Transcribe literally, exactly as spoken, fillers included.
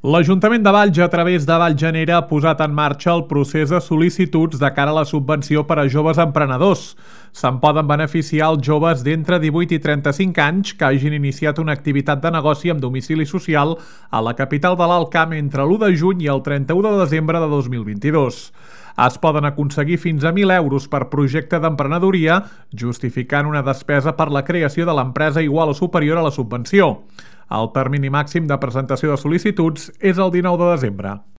L'Ajuntament de Valls, a través de Vallgenera, ha posat en marxa el procés de sol·licituds de cara a la subvenció per a joves emprenedors. Se'n poden beneficiar els joves d'entre divuit i trenta-cinc anys que hagin iniciat una activitat de negoci amb domicili social a la capital de l'Alt Camp entre l'u de juny i el trenta-u de desembre de dos mil vint-i-dos. Es poden aconseguir fins a mil euros per projecte d'emprenedoria, justificant una despesa per la creació de l'empresa igual o superior a la subvenció. El termini màxim de presentació de sol·licituds és el dinou de desembre.